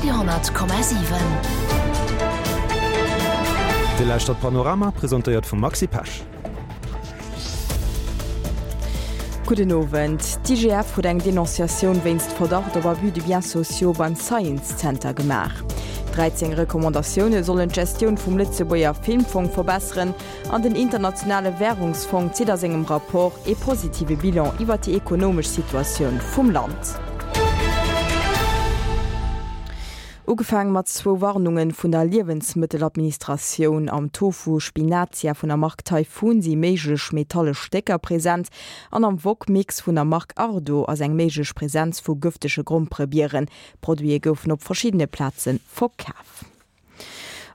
Radio,7. Dir lauschtert Panorama, presentéiert vum Maxi Pesch. Gudden Owend. D'IGF huet eng Denonciatioun wéinst Verdacht op Abus de biens sociaux beim Science Center gemaach. 13 Recommandatioune sollen d'Gestioun vum Lëtzebuerger Filmfong verbesseren an den Internationale Wärungsfong zitt a sengem Rapport ee positive Bilan iwwer déi ekonomesch Situatioun vum Land. Ugefaang mat zwou Warnunge vun der Liewensmëtteladministratioun, Am Tofu Spinacia vun der Mark Typhoon si méiglech metallesch Stécker present an am Wok Mix vun der Mark Ardo ass eng méiglech Presenz vu gëftege Gromperebieren. D'Produite goufen op verschiddene Plaze verkaf.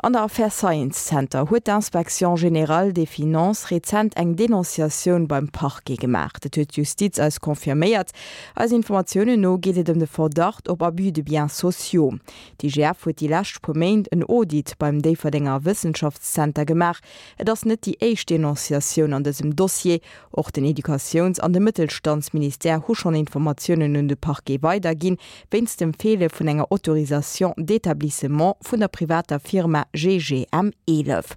An der Affär Science Center huet d'Inspection générale des finances rezent eng Denonciatioun beim Parquet gemaach. Dat huet d'Justiz eis confirméiert. Eisen Informatiounen no geet et ëm de Verdacht op Abus de biens sociaux. D'IGF huet déi lescht puer Méint en Audit beim Déifferdenger Wëssenschaftszenter gemaach. Et ass net déi éischt Denonciatioun an dësem Dossier. Och den Educatiouns an de Mëttelstandsministère hu schonn Informatiounen un de Parquet weiderginn, wéinst dem Feele vun enger Autorisation d'établissement vun der privater Firma GGM 11.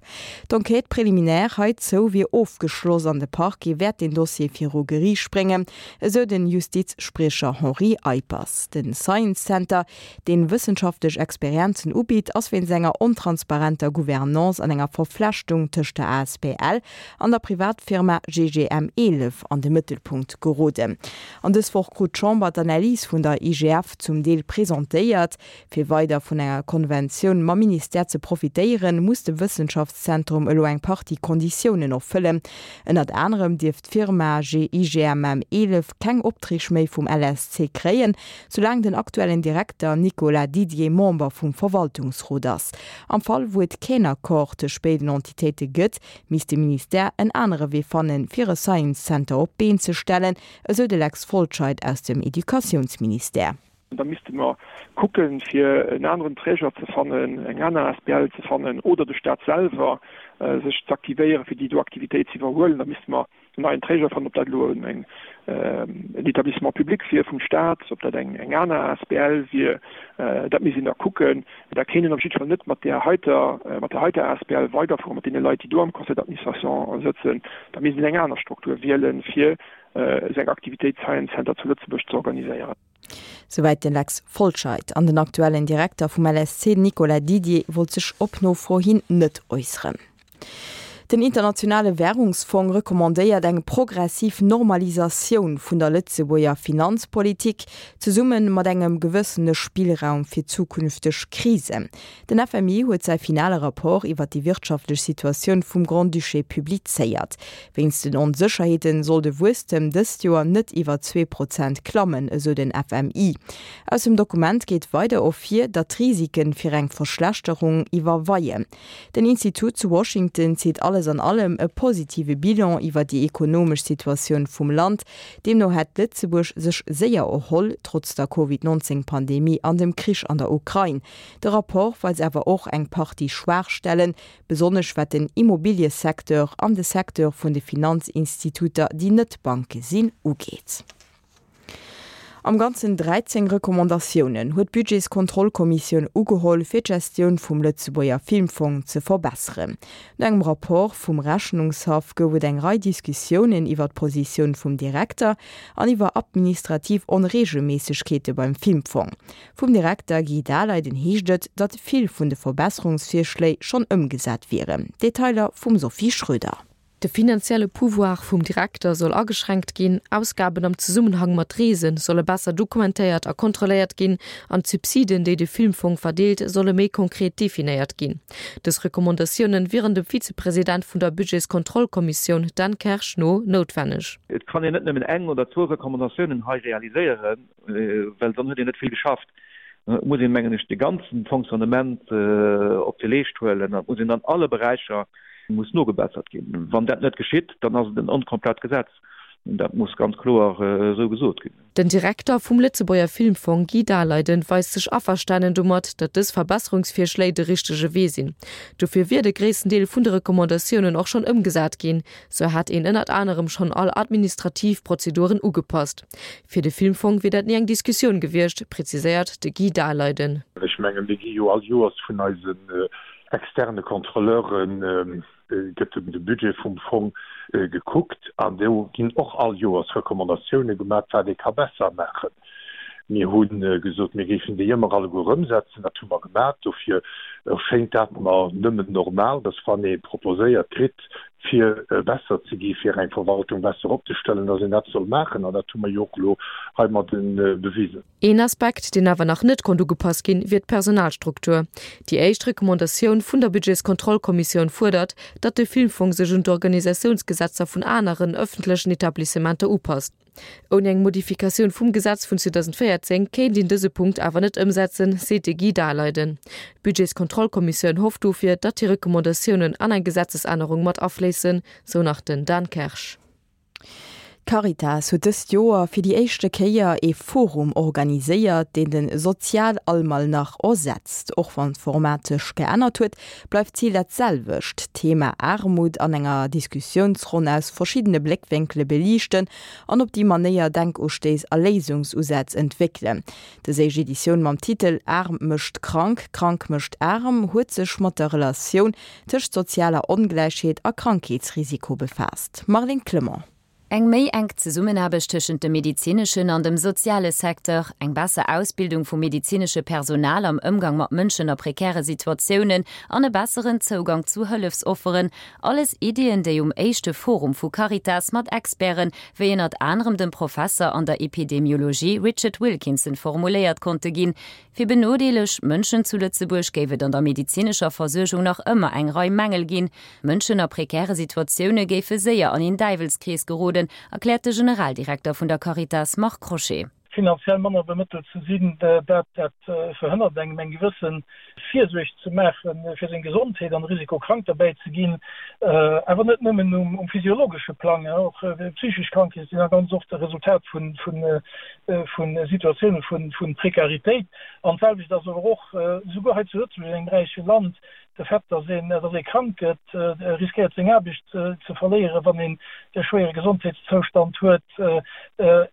D'Enquête préliminaire heizou wier ofgeschloss an de Parquet wäert den Dossier viru Geriicht bréngen, esou den Justizspriecher Henri Eippers. Den Science Center, deen wëssenschaftlech Experienzen ubitt, ass wéinst enger ontransparenter Gouvernance an enger Verflechtung tëscht der asbl an der Privatfirma GGM 11 an de Mëttelpunkt geroden. An dës Woch krut d'Chamber d'Analys vun der IGF zum Deel presentéiert. Fir weider vun enger Konventioun mam Ministère ze profitéieren, muss de Wëssenschaftszentrum elo eng Partie Konditiounen erfëllen. Ënnert anerem dierf d'Firma GIGMM 11 keng Opträg méi vum LSC kréien, soulaang den aktuellen Direkter Nicolas Didier Member vum Verwaltungsrot ass. Am Fall wou et keen Accord tëscht béiden Entitéite gëtt, misst de Ministère en anere Wee fannen, fir e Science Center op d'Been ze stellen, esou de Lex Folscheid aus dem Educatiounsministère. Da misste mer kucken, fir en aneren Träger ze fannen, eng aner asbl ze fannen oder de Staat selwer sech z'aktivéieren, fir déi do Aktivitéit ze iwwerhuelen. Da misste mer en neien Träger fannen, ob dat elo en Établissement public wier vum Staat, ob dat eng aner asbl wier, dat misst een da kucken. Da kéint een op jidde Fall net mat där heiter, mat der heiter asbl weiderfueren, mat deene Leit, déi do am Conseil d'administration sëtzen. Da misst een eng aner Struktur wielen, fir esou eng Aktivitéit Science Center zu Lëtzebuerg ze organiséieren. Souwäit de Lex Folscheid. An den aktuellen Direkter vum LSC, Nicolas Didier, wollt sech op Nofro hin net äusseren. Den Internationale Wärungsfong recommandéiert eng progressiv Normalisatioun vun der Lëtzebuerger Finanzpolitik, zesumme mat engem gewëssene Spillraum fir zukünfteg Krisen. Den FMI huet säi finale Rapport iwwer déi wirtschaftlech Situatioun vum Grand-Duché publizéiert. Wéinst den Onsécherheete soll de Wuesstem dëst Joer net iwwer 2% klammen, esou den FMI. Aus dem Dokument geet weider ervir, datt d'Risike fir eng Verschlechterung iwwerweien. Den Institut zu Washington zitt alles an allem e positive Bilan iwwer déi ekonomesch Situatioun vum Land. Deemno hätt Lëtzebuerg sech séier erholl, trotz der Covid 19 Pandemie an dem Krich an der Ukrain. De Rapport weist awer och eng Partie Schwaachstellen, besonnesch wat den Immobiliësecteur an de Secteur vun de Finanzinstituter, déi net Banke sinn, ugeet. Am Ganzen 13 Recommandatiounen huet d'Budgetskontrollkommissioun ugeholl, fir d'Gestioun vum Lëtzebuerger Filmfong ze verbesseren. No engem Rapport vum Rechnungshaff gouf et eng Rei Diskussiounen iwwer d'Positioun vum Direkter an iwwer administrativ Onreegelméissegkeete beim Filmfong. Vum Direkter Guy Daleiden heescht et, datt vill vun de Verbesserungsvirschléi schonn ëmgesat wieren. Detailer vum Sophie Schröder. De finanzielle Pouvoir vum Direkter soll ageschränkt ginn, Ausgaben am Zesummenhang mat Reese solle besser dokumentéiert a kontrolléiert ginn an d'Subsiden, déi de Filmfong verdeelt, solle méi konkret definéiert ginn. Dës Recommandatiounen wieren dem Vizepresident vun der Budgetskontrollkommissioun Dan Kersch no noutwenneg. Et kann een net nëmmen eng oder zwou Recommandatiounen hei realiséieren, well dann huet een net vill geschafft. Et muss een, mengen ech, de ganze Fonctionnement op de Leescht huelen an et muss een an alle Beräicher muss nogebessert ginn. Wann dat net geschitt, dann ass et en onkomplett Gesetz. Dat muss ganz kloer esou gesot ginn. Den Direkter vum Lëtzebuerger Filmfong Guy Daleiden weist sech averstanen domat, datt dës Verbesserungsvirschléi de richtege Wee sinn. Dofir wier de gréissten Deel vun de Recommandatiounen och schonn ëmgesat ginn. Sou hätt een ënnert anerem schonn all administrativ Prozeduren ugepasst. Fir de Filmfong wier dat ni eng Diskussioun gewiescht, preziséiert de Guy Daleiden. Ech mengen, mir gi jo all Joers vun eisen externe Contrôleuren gëtt de Budget vum Fong gekuckt an do ginn och all Joers Recommandatioune gemaat, wat ee ka besser maachen. Mir hu gesot, mir géifen déi ëmmer alleguer ëmsetzen. Dat hu mer gemaat. Dofir erschéngt dat mer nëmmen normal, dass wann ee proposéiert kritt, fir besser ze gi, fir eng Verwaltung besser opzestellen, dass een dat soll maachen. An dat hu mer jo och elo heimadde bewisen. Een Aspekt, deen awer nach net konnt ugepasst ginn, wier d'Personalstruktur. Déi éischt Recommandatioun vun der Budgetskontrollkommissioun fuerdert, datt de Filmfong sech un d'Organisatiounsgesetzer vun aneren ëffentlechen Etablissementer upasst. Ouni eng Modifikatioun vum Gesetz vun 2014 kéint een dëse Punkt awer net ëmsetzen, seet de Guy Daleiden. D'Budgetskontrollkommissioun hofft dofir, datt déi Recommandatiounen an eng Gesetzesännerung mat afléissen, sou nach den Dan Kersch. D'Caritas huet dëst Joer fir déi éischte Kéier ee Forum organiséiert, deen de Sozialalmalnach ersetzt. Och wann d'Format sech geännert huet, bleift d'Zil dat selwecht, d'Thema Aarmut an enger Diskussiounsronn aus verschiddene Bléckwénkele beliichten an op déi Manéier Denkustéiss a Léisungsusätz entwéckelen. Dës éischt Editioun mam Titel Aarm mécht krank, krank mécht aarm huet sech mat der Relatioun tëscht sozialer Ongläichheet a Krankheetsrisiko befaasst. Marlene Clement. Eng méi enk Zesummenaarbecht tëschent dem medezineschen an dem soziale Secteur, eng besser Ausbildung vum medezinesche Personal am Ëmgang mat Mënschen a prekäre Situatiounen an e besseren Zougang zu Hëllefsofferen, alles Iddien, déi um éischte Forum vu Caritas mat Experten, wéi ënnert anerem dem Professer an der Epidemiologie Richard Wilkinson formuléiert konnte ginn. Fir benodeeleg Mënschen zu Lëtzebuerg géif et an der medezinescher Versuergung nach ëmmer eng Rei Mängel ginn. Mënschen a prekäre Situatioune géife séier an een Däiwelskrees geroden, erkläert de Generaldirekter vun der Caritas Marc Crochet. Finanziell manner bemëttelt ze sinn, dat dat verhënnert engem eng gewësse Virsuerg ze maache fir seng Gesondheet an de Risiko krank derbäi ze ginn. Awer net nëmmen um physiologesche Plang, och psychesch Krankheete sinn da ganz oft e Resultat vun vu Situatioune vu Prekaritéit. An d'selwecht ass awer och souguer hei zu Lëtzebuerg, an engem räiche Land, de Fait, datt een, datt ee krank gëtt, riskéiert seng Aarbecht ze verléieren, wann een e schwéiere Gesondheetszoustand huet,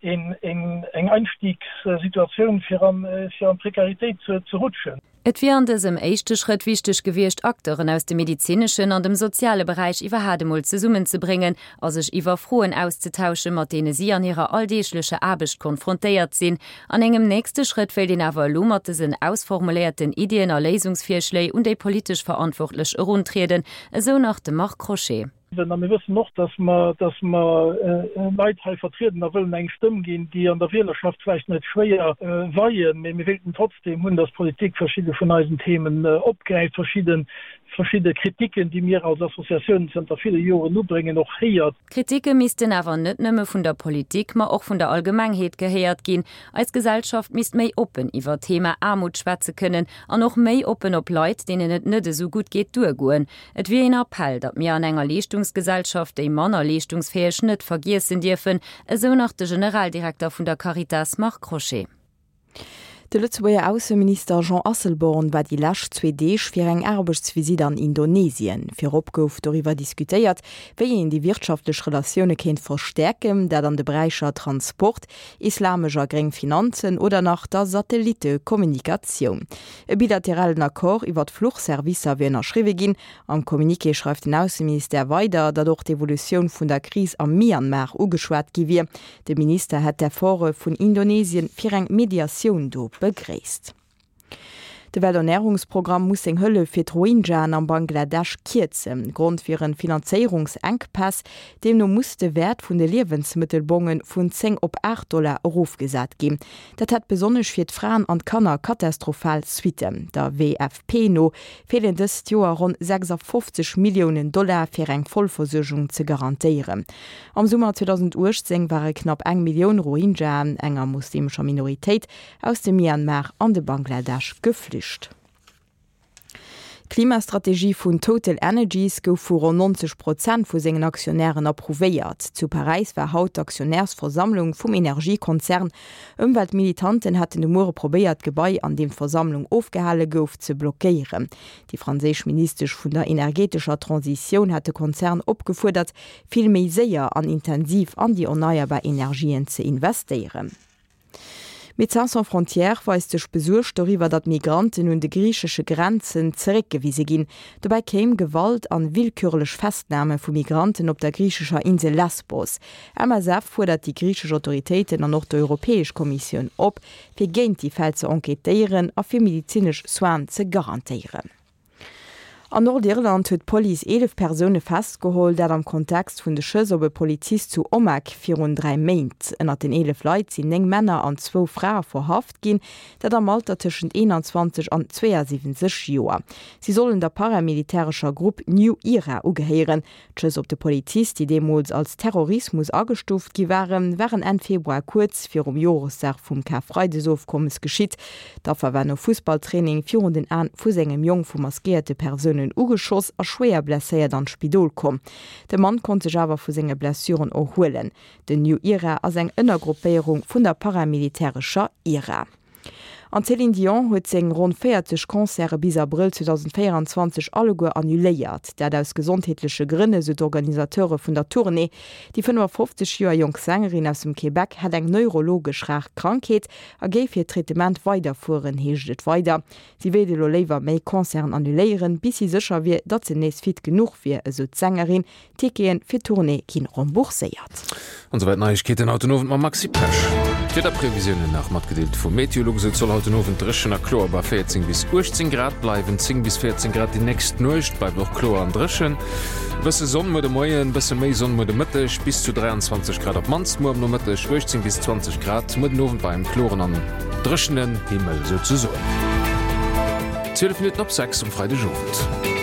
een eng Einstiegssituatioun fir an d'Prekaritéit ze rutschen. Et wier an dësem éischte Schrëtt wichteg gewiescht, Acteuren aus dem medezineschen an dem soziale Beräich iwwerhaat emol zesummenzebréngen a sech iwwer Froen auszetauschen, mat deene si an hirer alldeeglecher Aarbecht konfrontéiert sinn. An engem nächste Schrëtt wéilt een awer elo mat dësen ausformuléierten Iddien a Léisungsvirschléi un déi politesch Verantwortlech eruntrieden, esou nach de Marc Crochet. A mir wëssen och, dass mer, dass mer Leit hei vertrieden a wëllen eng Stëmm ginn, déi an der Wielerschaft vläicht net schwéier weien, mee mir wéilten trotzdem hunn, dass d'Politik verschidde vun eisen Themen opgräift, verschidde, verschidde Kritiken, déi mir als Associatiounen zënter ville Joren ubréngen, och héiert. D'Kritike missten awer net nëmme vun der Politik, ma och vun der Allgemengheet gehéiert ginn. Eis Gesellschaft misst méi oppen iwwer d'Thema Aarmut schwätze kënnen an och méi oppen op Leit, deenen et net esou gutt geet, duergoen. Et wier een Appell, datt mir an enger Leeschtungsgesellschaft déi manner leeschtungsfäeg net vergiessen dierfen, esou nach de Generaldirekter vun der Caritas Marc Crochet. De Lëtzebuerger Ausseminister Jean Asselborn war déi lescht zwee Deeg fir eng Aarbechtsvisitt an Indonesien. Virop gouf doriwwer diskutéiert, wéi een déi wirtschaftlech Relatioune kéint verstäerken, dat an de Beräicher Transport, islamesch a gréng Finanzen oder nach der Satellittekommunikatioun. E bilateralen Accord iwwer d'Fluchservicer wier ënnerschriwwe ginn. Am Communiqué schreift den Ausseministère weider, datt och d'Evolutioun vun der Kris am Myanmar ugeschwat gi wier. De Minister hätt d'Efforte vun Indonesien fir eng Mediatioun do begréisst. De Welternärungsprogramm muss seng Hëllef fir d'Rohingyaen am Bangladesch kierzen. Grond wieren Finanzéierungsenkpäss. Deemno muss de Wäert vun de Liewensmëttelbonge vun 10 op 8 Dollar erofgesat ginn. Dat hätt besonnesch fir d'Fraen an d'Kanner katastrophal Suitten. Der WFP no feelen dëst Joer ronn 56 Milliounen Dollar fir eng Vollversuergung ze garantéieren. Am Summer 2018 ware knapp eng Millioun Rohingyaen, enger muslimescher Minoritéit, aus dem Myanmar an de Bangladesch geflücht. D'Klimastrategie vun Total Energies gouf vu ronn 90 Prozent vu sengen Aktionären approuvéiert. Zu Paräis war haut d'Aktionärsversammlung vum Energiekonzern. Ëmweltmilitanten hätten de Muere probéiert, d'Gebai, an deem d'Versammlung ofgehale gouf, ze blockéieren. Déi franséisch Ministesch vun der energetescher Transitioun hat de Konzern opgefuerdert, vill méi séier an intensiv an déi erneierbar Energien ze investéieren. Médecins sans frontières weist sech besuergt doriwwer, datt Migranten un de griichesche Grenzen zeréckgewise ginn. Dobäi kéim Gewalt an willkürlech Festname vu Migranten op der griichescher Insel Lesbos. MSF fuerdert déi griichesch Autoritéiten an och d'Europäesch Kommissioun op, fir géint déi Fäll ze enquêtéieren a fir medizinesch Soinen ze garantéieren. An Nordirland huet d'Police 11 Persoune festgeholl, dat am Kontext vun de Schëss op e Polizist zu Omagh virun 3 Méint. Ënnert den 11 Leit sinn 9 Männer an zwou Frae verhaft ginn, dat am Alter tëschent 21 an 72 Joer. Si sollen der paramilitärescher Grupp New Ira ugehéieren. D'Schëss op de Polizist, déi deemools als Terrorismus agestuuft gi waren, waren Enn Februar kuerz virum Joresdag vum Karfreidesofkommes geschitt. D'Affer war no Fussballtraining virun den Aen vu sengem Jong vu maskéierte Persounen ugeschoss a schwéier blesséiert an d'Spidol komm. De Mann konnt sech awer vu senge Blessuren erhuelen. Den New Ira ass eng Ënnergruppéierung vun der paramilitärescher IRA. An d'Céline Dion huet seng ronn 40 Concerte bis Abrëll 2024 alleguer annuléiert. Dat aus gesondheetleche Grënn, esou d'Organisateure vun der Tournée. Déi 55 Joer jonk Sängerin aus dem Québec hätt eng neurologesch rar Krankheet a géif hiert Traitement weiderfueren, heescht et weider. Si wéilt elo léiwer méi Concerten annuléieren, bis si sécher wier, datt se nees fit genuch wier, esou d'Sängerin, Ticketen fir d'Tournée ginn rembourséiert. An souwäit d'Neiegkeeten haut den Owend mam Maxi Pesch. D'Wiederprevisiounen nach matgedeelt vu Meteolux, Et soll haut den Owend dréchen a kloer bei 14 bis 18 Grad bleiwen, 10 bis 14 Grad déi nächst Nuecht, bleift och kloer an dréchen. E bësse Sonn muer de Moien, bësse méi Sonn muer de Mëtteg, bis zu 23 Grad op d'mannst muer am Nomëtteg, 18 bis 20 Grad muer den Owend bei engem kloren an dréchenen Himmel souzesoen. 12 Minutten op 6 um Freidegowend.